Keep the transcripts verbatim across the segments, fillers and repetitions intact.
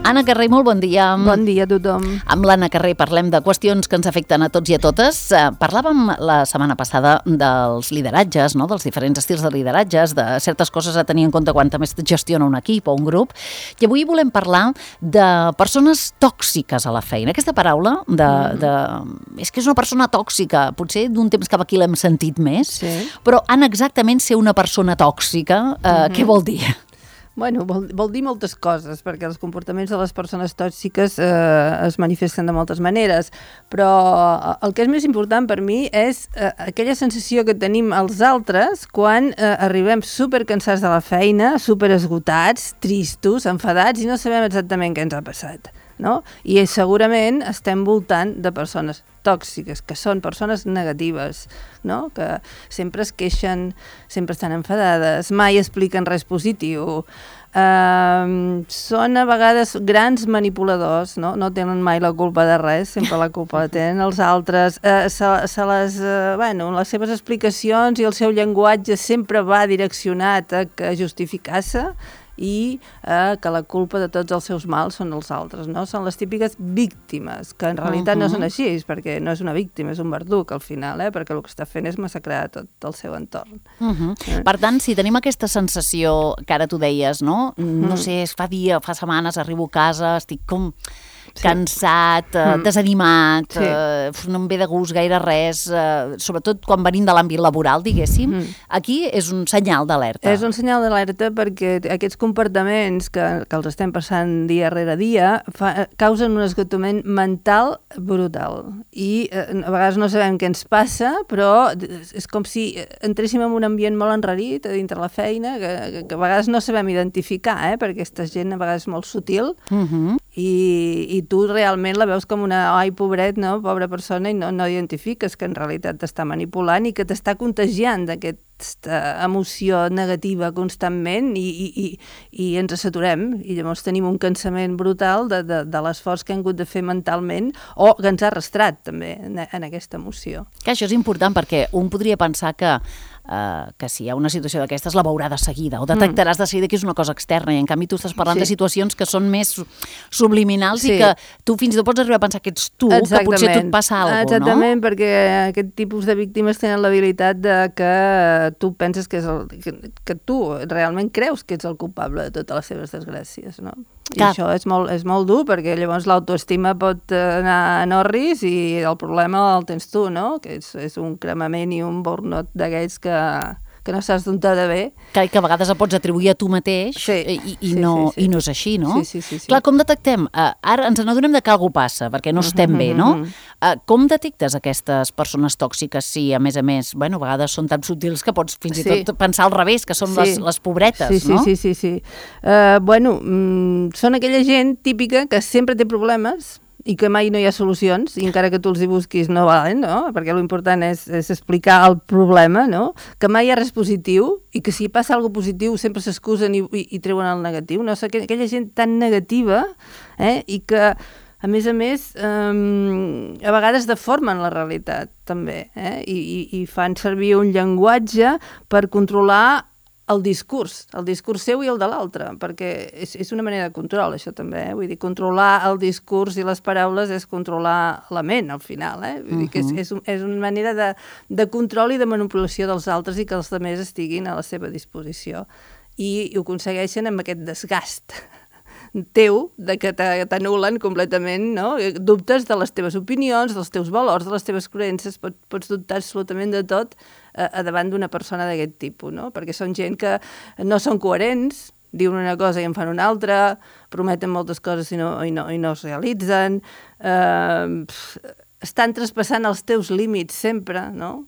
Anna Carrer, molt bon dia. Bon dia a tothom. Amb l'Anna Carrer parlem de qüestions que ens afecten a tots i a totes. Parlàvem la setmana passada dels lideratges, no? Dels diferents estils de lideratges, de certes coses a tenir en compte quan també es gestiona un equip o un grup. I avui volem parlar de persones tòxiques a la feina. Aquesta paraula de, de... és que és una persona tòxica. Potser d'un temps cap aquí l'hem sentit més. Sí. Però, Anna, exactament ser una persona tòxica, eh, mm-hmm. què vol dir? Bueno, vol, vol dir moltes coses, perquè els comportaments de les persones tòxiques eh, es manifesten de moltes maneres, però el que és més important per mi és eh, aquella sensació que tenim els altres quan eh, arribem supercansats de la feina, superesgotats, tristos, enfadats i no sabem exactament què ens ha passat, no? I segurament estem voltant de persones tòxiques, que són persones negatives, no? Que sempre es queixen, sempre estan enfadades, mai expliquen res positiu, uh, són a vegades grans manipuladors, no? No tenen mai la culpa de res, sempre la culpa la tenen els altres, uh, se, se les, uh, bueno, les seves explicacions i el seu llenguatge sempre va direccionat a, a justificar-se, i eh, que la culpa de tots els seus mals són els altres, no? Són les típiques víctimes, que en realitat uh-huh. no són així, perquè no és una víctima, és un verduc al final, eh? Perquè el que està fent és massacrar tot el seu entorn. Uh-huh. Eh? Per tant, si tenim aquesta sensació que ara tu deies, no? Uh-huh. No sé, fa dia, fa setmanes, arribo a casa, estic com... Sí. cansat, eh, mm. desanimat, sí. eh, no em ve de gust gaire res, eh, sobretot quan venim de l'àmbit laboral, diguéssim, mm. aquí és un senyal d'alerta. És un senyal d'alerta perquè aquests comportaments que, que els estem passant dia rere dia fa, causen un esgotament mental brutal. I eh, a vegades no sabem què ens passa, però és com si entréssim en un ambient molt enrarit a dintre la feina, que, que, que a vegades no sabem identificar, eh, perquè aquesta gent a vegades és molt sutil, mm-hmm. i, i tu realment la veus com una, ai, pobret, no? Pobra persona, i no, no identifiques que en realitat t'està manipulant i que t'està contagiant d'aquesta emoció negativa constantment i, i, i, i ens saturem i llavors tenim un cansament brutal de, de, de l'esforç que hem hagut de fer mentalment o que ens ha arrastrat també en, en aquesta emoció. Que això és important perquè un podria pensar que Uh, que si hi ha una situació d'aquestes la veurà de seguida o detectaràs mm. de seguida que és una cosa externa i en canvi tu estàs parlant sí. de situacions que són més subliminals sí. i que tu fins i tot pots arribar a pensar que ets tu, exactament. Que potser tu et passa alguna cosa, no? Exactament, perquè aquest tipus de víctimes tenen l'habilitat de que tu penses que, és el, que, que tu realment creus que ets el culpable de totes les seves desgràcies, no? I Cap. Això és molt, és molt dur perquè llavors l'autoestima pot anar en orris i el problema el tens tu, no? Que és, és un cremament i un burnout d'aquells que, que no saps d'on t'ha de bé. Que, que a vegades el pots atribuir a tu mateix sí. i, i, sí, no, sí, sí. i no és així, no? Sí, sí, sí, sí. Clar, com detectem? Uh, ara ens n'adonem de que alguna passa, perquè no estem uh-huh, bé, no? Uh, com detectes aquestes persones tòxiques si, a més a més, bueno, a vegades són tan subtils que pots fins i sí. tot pensar al revés, que són sí. les, les pobretes, sí, sí, no? Sí, sí, sí. sí. Uh, bueno, mm, són aquella gent típica que sempre té problemes i que mai no hi ha solucions, i encara que tu els hi busquis no valen, no? Perquè l'important és, és explicar el problema, no? Que mai hi ha res positiu, i que si passa alguna cosa positiu sempre s'excusen i, i, i treuen el negatiu, no? Aquella gent tan negativa, eh? I que, a més a més, um, a vegades deformen la realitat, també, eh? I, i, i fan servir un llenguatge per controlar el discurs, el discurs seu i el de l'altre, perquè és, és una manera de control, això també, eh? Vull dir, controlar el discurs i les paraules és controlar la ment, al final, eh? Vull dir que és, és, un, és una manera de, de control i de manipulació dels altres i que els altres estiguin a la seva disposició. I, i ho aconsegueixen amb aquest desgast teu, de que t'anulen completament, no? Dubtes de les teves opinions, dels teus valors, de les teves creences, pots, pots dubtar absolutament de tot a, a davant d'una persona d'aquest tipus, no? Perquè són gent que no són coherents, diuen una cosa i en fan una altra, prometen moltes coses i no, i no, i no es realitzen, eh, estan traspassant els teus límits sempre, no?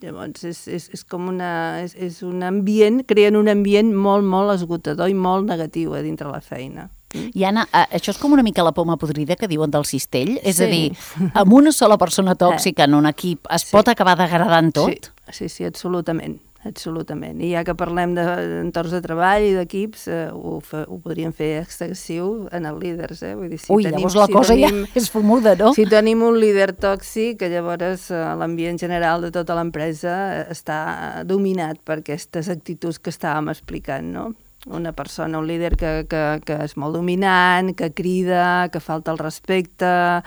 Llavors, és, és, és com una, és, és un ambient, creen un ambient molt, molt esgotador i molt negatiu a dintre la feina. I Anna, això és com una mica la poma podrida que diuen del cistell? És sí. a dir, amb una sola persona tòxica en un equip es sí. pot acabar degradant tot? Sí, sí, sí, absolutament. Absolutament. I ja que parlem d'entorns de treball i d'equips, eh, ho, fa, ho podríem fer extensiu en els líders. Eh? Vull dir, si Ui, tenim, llavors la si cosa tenim, ja és fumuda, no? Si tenim un líder tòxic, llavors eh, l'ambient general de tota l'empresa està dominat per aquestes actituds que estàvem explicant, no? una persona, un líder que, que, que és molt dominant, que crida, que falta el respecte,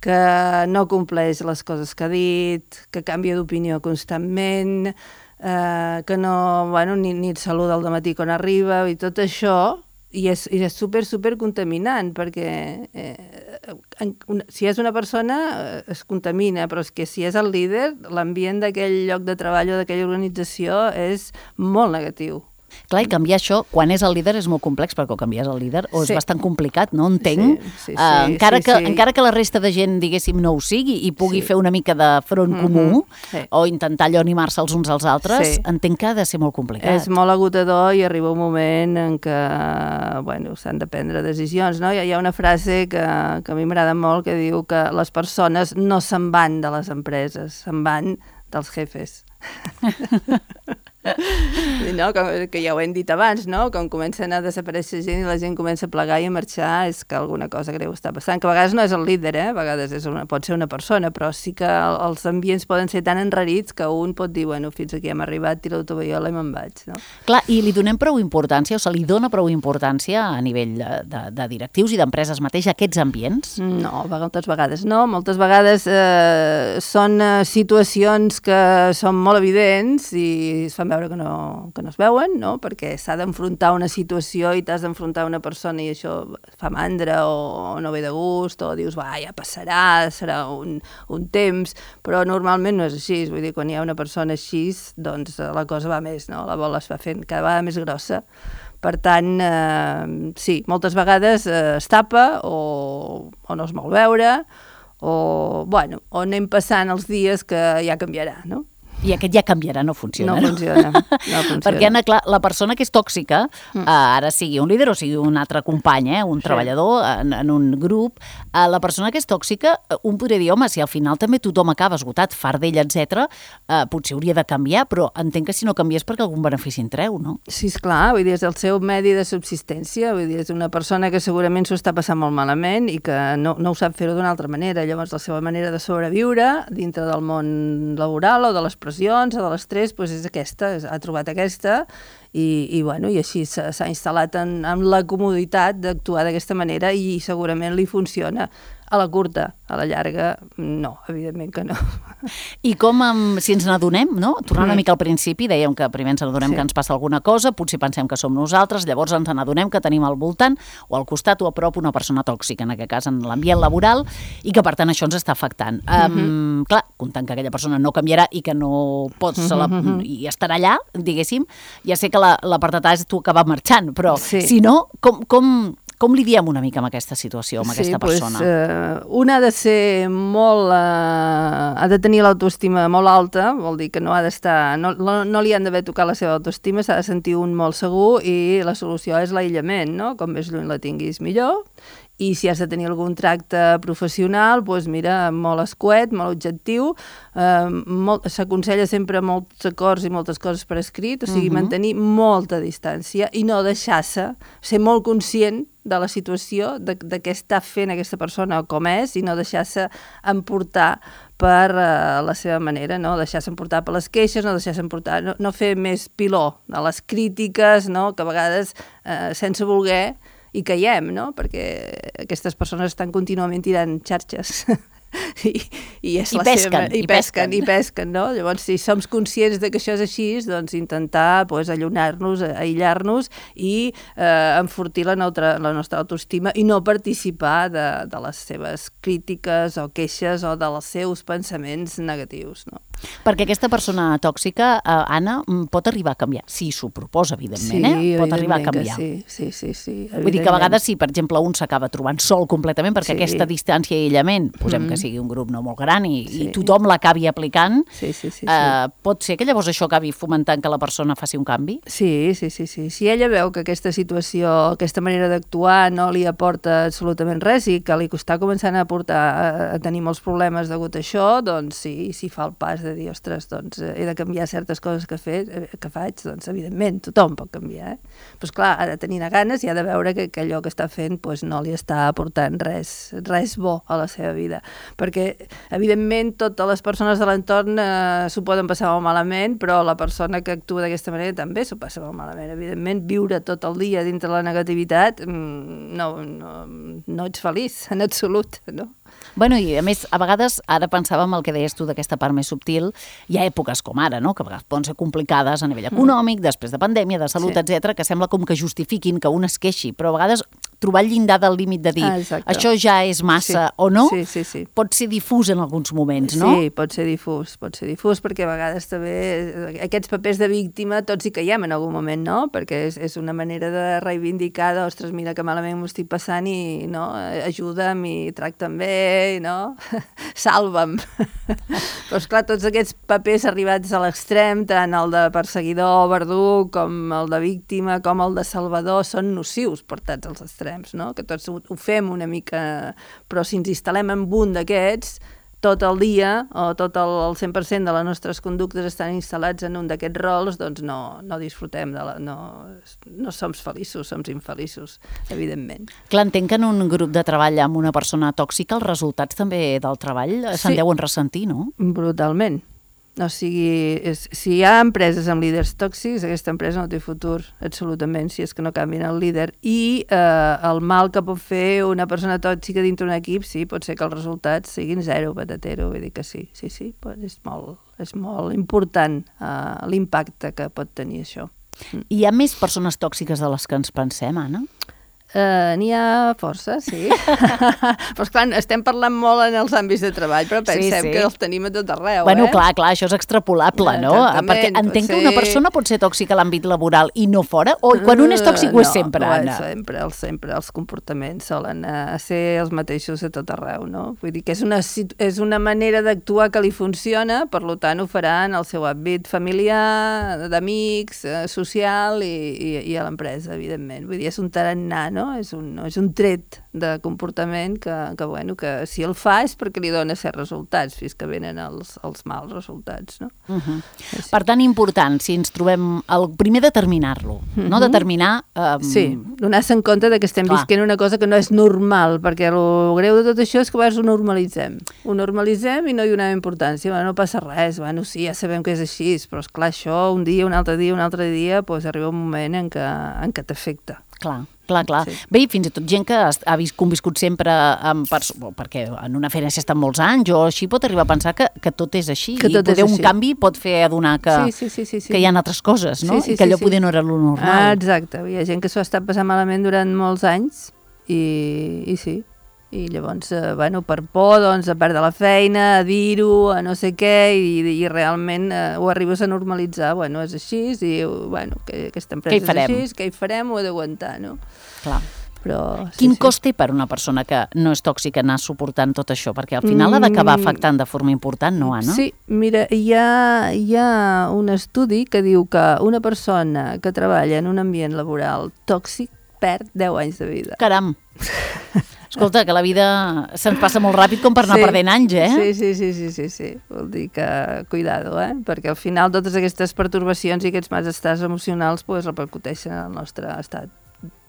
que no compleix les coses que ha dit, que canvia d'opinió constantment, eh, que no, bueno, ni, ni et saluda al dematí quan arriba, i tot això, i és, i és super, super contaminant, perquè eh, en, una, si és una persona eh, es contamina, però és que si és el líder, l'ambient d'aquell lloc de treball o d'aquella organització és molt negatiu. Clar, i canviar això, quan és el líder, és molt complex, perquè o canvies el líder o és sí. bastant complicat, no? Entenc. Sí, sí, sí, uh, encara, sí, que, sí. encara que la resta de gent, diguéssim, no ho sigui i pugui sí. fer una mica de front mm-hmm. comú sí. o intentar allò animar-se els uns als altres, sí. entenc que ha de ser molt complicat. És molt agotador i arriba un moment en què bueno, s'han de prendre decisions. No? Hi ha una frase que, que a mi m'agrada molt que diu que les persones no se'n van de les empreses, se'n van dels jefes. No, com, que ja ho hem dit abans, no? Com comencen a desaparèixer gent i la gent comença a plegar i a marxar, és que alguna cosa greu està passant, que a vegades no és el líder, eh? A vegades és una, pot ser una persona, però sí que els ambients poden ser tan enrarits que un pot dir, bueno, fins aquí hem arribat, tiro la tovallola i me'n vaig, no? Clar, i li donem prou importància, o se li dona prou importància a nivell de, de, de directius i d'empreses mateix a aquests ambients? No, moltes vegades no, moltes vegades eh, són eh, situacions que són molt evidents i es fan veure que no, que no es veuen, no? Perquè s'ha d'enfrontar una situació i t'has d'enfrontar una persona i això fa mandra o no ve de gust o dius, va, ja passarà, serà un, un temps, però normalment no és així, vull dir, quan hi ha una persona així, doncs la cosa va més, no? La bola es va fent cada vegada més grossa. Per tant, eh, sí, moltes vegades eh, es tapa o, o no es vol veure o, bueno, o anem passant els dies que ja canviarà, no? I aquest ja canviarà, no funciona. No funciona, no funciona. Perquè, Anna, clar, la persona que és tòxica, mm. eh, ara sigui un líder o sigui un altre company, eh, un sí. treballador en, en un grup, eh, la persona que és tòxica, un podria dir, home, si al final també tothom acaba esgotat, fart d'ell, etcètera, eh, potser hauria de canviar, però entenc que si no canvies perquè algun benefici en treu, no? Sí, esclar, vull dir, és el seu medi de subsistència, vull dir, és una persona que segurament s'ho està passant molt malament i que no, no ho sap fer-ho d'una altra manera, llavors la seva manera de sobreviure dintre del món laboral o de les o de l'estrès, doncs és aquesta, ha trobat aquesta i, i, bueno, i així s'ha instal·lat en, en la comoditat d'actuar d'aquesta manera i segurament li funciona. A la curta, a la llarga, no, evidentment que no. I com, um, si ens n'adonem, no? Tornant una mica al principi, dèiem que primer ens n'adonem sí. que ens passa alguna cosa, potser pensem que som nosaltres, llavors ens n'adonem que tenim al voltant o al costat o a prop una persona tòxica, en aquest cas en l'ambient laboral, i que per tant això ens està afectant. Um, mm-hmm. Clar, comptant que aquella persona no canviarà i que no pots, mm-hmm. la, i estarà allà, diguéssim, ja sé que la, la part de és tu acabar marxant, però sí. si no, com... com Com lidiem una mica amb aquesta situació, amb sí, aquesta persona? Pues, eh, una ha de ser molt... Eh, ha de tenir l'autoestima molt alta, vol dir que no ha d'estar... No, no, no li han d'haver tocat la seva autoestima, s'ha de sentir un molt segur i la solució és l'aïllament, no? Com més lluny la tinguis, millor. I si has de tenir algun tracte professional, doncs mira, molt escuet, molt objectiu, eh, s'aconsella sempre molts acords i moltes coses per escrit, o sigui, uh-huh. mantenir molta distància i no deixar-se, ser molt conscient de la situació, de, de què està fent aquesta persona o com és, i no deixar-se emportar per uh, la seva manera, no? Deixar-se emportar per les queixes, no deixar-se emportar, no, no fer més piló de les crítiques, no? Que a vegades, uh, sense voler, hi caiem, no? Perquè aquestes persones estan contínuament tirant xarxes i, i, és I la pesquen, seva... I, i pesquen, pesquen, i pesquen, no? Llavors, si som conscients de que això és així, doncs intentar pues, allunyar-nos, aïllar-nos i eh, enfortir la, neutra, la nostra autoestima i no participar de, de les seves crítiques o queixes o dels seus pensaments negatius, no? Perquè aquesta persona tòxica, eh, Anna, pot arribar a canviar. Si s'ho proposa, evidentment, sí, eh? Pot arribar a canviar. Sí, sí, sí, sí. Vull dir que a vegades sí, per exemple, un s'acaba trobant sol completament perquè sí. aquesta distància i aïllament, posem mm-hmm. que sigui un grup no molt gran i, sí. i tothom l'acabi aplicant, sí, sí, sí, sí. Eh, pot ser que llavors això acabi fomentant que la persona faci un canvi? Sí, sí, sí, sí. Si ella veu que aquesta situació, aquesta manera d'actuar no li aporta absolutament res i que li està començant a, portar, a, a tenir molts problemes degut a això, doncs sí, si fa el pas de dir, ostres, doncs he de canviar certes coses que, fet, que faig, doncs evidentment tothom pot canviar. Eh? Però esclar, ha de tenir ganes i ha de veure que, que allò que està fent pues, no li està aportant res, res bo a la seva vida. perquè, evidentment, totes les persones de l'entorn eh, s'ho poden passar molt malament, però la persona que actua d'aquesta manera també s'ho passa molt malament. Evidentment, viure tot el dia dintre la negativitat, no, no, no ets feliç, en absolut, no? Bueno, i a més, a vegades, ara pensàvem el que deies tu d'aquesta part més subtil, hi ha èpoques com ara, no?, que a vegades poden ser complicades a nivell econòmic, mm. després de pandèmia, de salut, sí. etcètera, que sembla com que justifiquin que un es queixi, però a vegades trobar el llindar del límit de dir ah, això ja és massa sí. o no, sí, sí, sí. pot ser difús en alguns moments, no? Sí, pot ser difús, pot ser difús, perquè a vegades també aquests papers de víctima tots hi caiem en algun moment, no? Perquè és, és una manera de reivindicar, ostres, mira que malament m'ho estic passant i no, ajuda'm i tracta'm bé, no? Salva'm. Però esclar, tots aquests papers arribats a l'extrem, tant el de perseguidor, verduc, com el de víctima, com el de salvador, són nocius portats als extrems. No? Que tots ho, ho fem una mica, però si ens instal·lem en un d'aquests, tot el dia, o tot el, el cent per cent de les nostres conductes estan instal·lats en un d'aquests rols, doncs no, no disfrutem, de la, no, no som feliços, som infeliços, evidentment. Clar, entenc que en un grup de treball amb una persona tòxica els resultats també del treball se'n sí. deuen ressentir, no? Brutalment. O sigui, és, si hi ha empreses amb líders tòxics, aquesta empresa no té futur, absolutament, si és que no canvien el líder. I eh, el mal que pot fer una persona tòxica dintre d'un equip, sí, pot ser que els resultats siguin zero, patatero, vull dir que sí, sí, sí, però és molt, és molt important eh, l'impacte que pot tenir això. Hi ha més persones tòxiques de les que ens pensem, Anna? Uh, N'hi ha força, sí. Però, esclar, estem parlant molt en els àmbits de treball, però pensem sí, sí. que els tenim a tot arreu. Bueno, eh? clar, clar, això és extrapolable, no? Perquè entenc que una persona pot ser tòxica a l'àmbit laboral i no fora, o quan un és tòxic uh, ho és sempre, no, Anna? No, sempre, sempre els comportaments solen uh, ser els mateixos a tot arreu, no? Vull dir que és una, és una manera d'actuar que li funciona, per tant ho farà en el seu àmbit familiar, d'amics, uh, social i, i, i a l'empresa, evidentment. Vull dir, és un tarannà, no? És un, és un tret de comportament que, que, bueno, que si el fa és perquè li dona certs resultats, fins que venen els, els mals resultats, no? Uh-huh. Sí. Per tant, important, si ens trobem... El primer, determinar-lo, uh-huh. no? Determinar... Um... Sí, donar-se en compte de que estem Clar. visquent una cosa que no és normal, perquè el greu de tot això és que a vegades ho normalitzem. Ho normalitzem i no hi donem importància. Bueno, no passa res, bueno, sí, ja sabem que és així, però esclar, això un dia, un altre dia, un altre dia, doncs arriba un moment en què, en què t'afecta. Clar. Clar, clar. Sí. Bé, i fins i tot gent que ha vist, conviscut sempre amb perso- perquè en una feina s'ha estat molts anys o així pot arribar a pensar que, que tot és així que i poder un així. canvi pot fer adonar que, sí, sí, sí, sí, sí. que hi ha altres coses, no? Sí, sí, I que allò sí, sí. poder no era lo normal. Ah, exacte. Hi ha gent que s'ho ha estat passant malament durant molts anys i, i sí. I llavors, eh, bueno, per por, doncs, a perdre la feina, a dir-ho, a no sé què, i, i realment eh, ho arribes a normalitzar. Bueno, és així, i, bueno, que aquesta empresa és així, què hi farem? Ho he d'aguantar, no? Clar. Però, sí, Quin sí. cost té per una persona que no és tòxica anar suportant tot això? Perquè al final mm. ha d'acabar afectant de forma important, no, Anna? Sí, mira, hi ha, hi ha un estudi que diu que una persona que treballa en un ambient laboral tòxic perd deu anys de vida. Caram! Escolta, que la vida se'ns passa molt ràpid com per anar sí, perdent anys, eh? Sí, sí, sí, sí, sí, sí. Vol dir que, cuidado, eh? Perquè al final totes aquestes pertorbacions i aquests malestars emocionals pues, repercuteixen en el nostre estat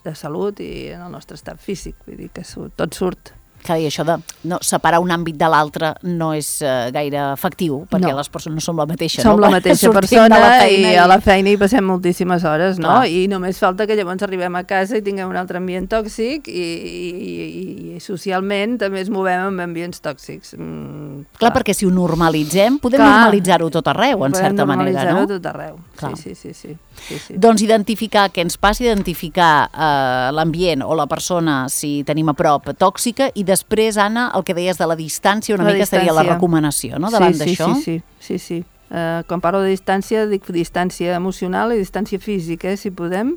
de salut i en el nostre estat físic. Vull dir que tot surt. Clar, i això de no, separar un àmbit de l'altre no és uh, gaire efectiu, perquè no. les persones no som la mateixa, som no? la mateixa persona i, i a la feina hi passem moltíssimes hores, no? Clar. I només falta que llavors arribem a casa i tinguem un altre ambient tòxic i, i, i, i socialment també ens movem amb ambients tòxics. Mm, clar. clar, perquè si ho normalitzem, podem clar. normalitzar-ho tot arreu, en certa manera, no? Podem normalitzar-ho tot arreu, clar. sí, sí, sí, sí. Sí, sí. Doncs identificar què ens passa, identificar eh, l'ambient o la persona, si tenim a prop, tòxica, i després, Anna, el que deies de la distància, una la mica distància. seria la recomanació, no?, davant sí, sí, d'això. Sí, sí, sí, sí. Uh, quan parlo de distància, dic distància emocional i distància física, eh, si podem,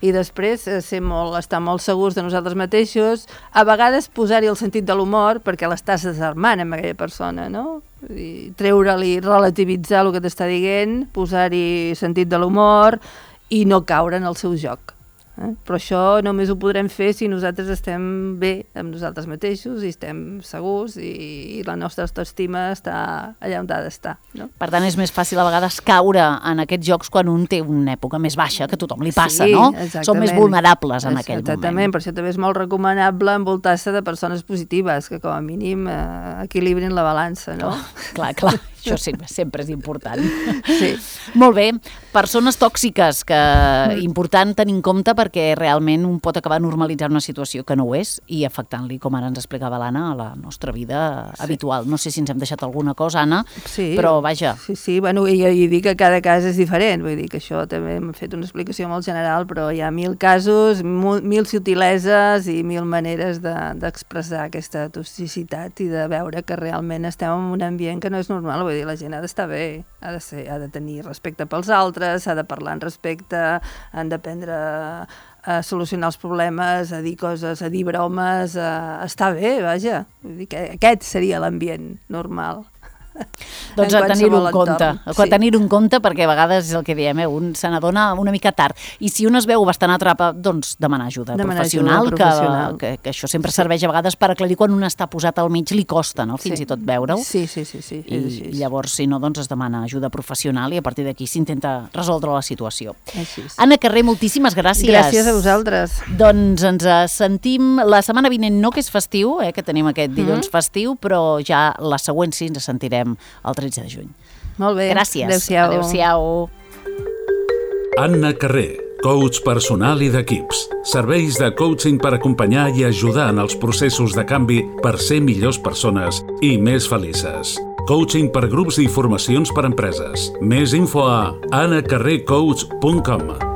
i després uh, ser molt, estar molt segurs de nosaltres mateixos, a vegades posar-hi el sentit de l'humor, perquè l'estàs desarmant amb aquella persona, no? I treure-li, relativitzar el que t'està dient, posar-hi sentit de l'humor i no caure en el seu joc. Eh? Però això només ho podrem fer si nosaltres estem bé amb nosaltres mateixos i estem segurs i, i la nostra autoestima està allà on ha d'estar. No? Per tant, és més fàcil a vegades caure en aquests jocs quan un té una època més baixa, que a tothom li passa, sí, no? Exactament. Som més vulnerables en aquell exactament. moment. Per això també és molt recomanable envoltar-se de persones positives, que com a mínim eh, equilibrin la balança, no? Clar, clar, clar. Això sempre, sempre és important. Sí. Molt bé. Persones tòxiques, que mm. important tenir en compte perquè realment un pot acabar normalitzant una situació que no ho és i afectant-li, com ara ens explicava l'Anna, a la nostra vida sí. habitual. No sé si ens hem deixat alguna cosa, Anna, sí. però vaja. Sí, sí, bueno, i, i dic que cada cas és diferent, vull dir que això també hem fet una explicació molt general, però hi ha mil casos, mil, mil subtileses i mil maneres d'expressar de, aquesta toxicitat i de veure que realment estem en un ambient que no és normal, vull dir, la gent ha d'estar bé, ha de, ser, ha de tenir respecte pels altres, s'ha de parlar en respecte, han d'aprendre a solucionar els problemes, a dir coses, a dir bromes, a estar bé, vaja. Vull dir que aquest seria l'ambient normal. Doncs a tenir-ho en compte, a sí. tenir-ho en compte perquè a vegades és el que diem, eh? Un se n'adona una mica tard. I si un es veu bastant atrapat, doncs demanar ajuda demanar professional, ajuda professional. Que, que, que això sempre sí. serveix a vegades per aclarir quan un està posat al mig, li costa, no? Fins sí. i tot veure-ho. Sí, sí, sí. sí. I llavors, si no, doncs es demana ajuda professional i a partir d'aquí s'intenta resoldre la situació. Així és. Anna Carré, moltíssimes gràcies. Gràcies a vosaltres. Doncs ens sentim la setmana vinent, no que és festiu, eh? Que tenim aquest dilluns mm-hmm. festiu, però ja la següent sí ens sentirem el tretze de juny. Molt bé. Gràcies. Adéu-siau. Adéu-siau. Anna Carré, coach personal i d'equips. Serveis de coaching per acompanyar i ajudar en els processos de canvi per ser millors persones i més felices. Coaching per grups i formacions per empreses. Més info a anna carré coach punt com.